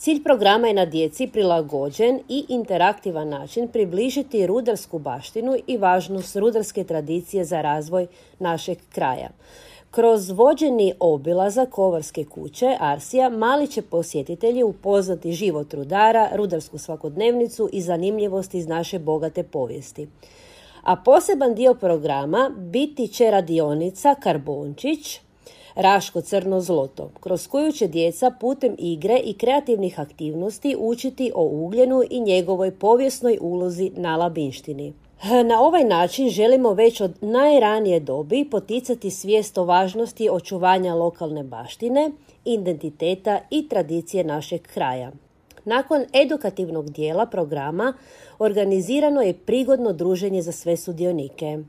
Cilj programa je na djeci prilagođen i interaktivan način približiti rudarsku baštinu i važnost rudarske tradicije za razvoj našeg kraja. Kroz vođeni obilazak Kovarske kuće Arsija, mali će posjetitelji upoznati život rudara, rudarsku svakodnevnicu i zanimljivosti iz naše bogate povijesti. A poseban dio programa biti će radionica Karbončić, Raško crno zloto, kroz koju će djeca putem igre i kreativnih aktivnosti učiti o ugljenu i njegovoj povijesnoj ulozi na Labinštini. Na ovaj način želimo već od najranije dobi poticati svijest o važnosti očuvanja lokalne baštine, identiteta i tradicije našeg kraja. Nakon edukativnog dijela programa organizirano je prigodno druženje za sve sudionike.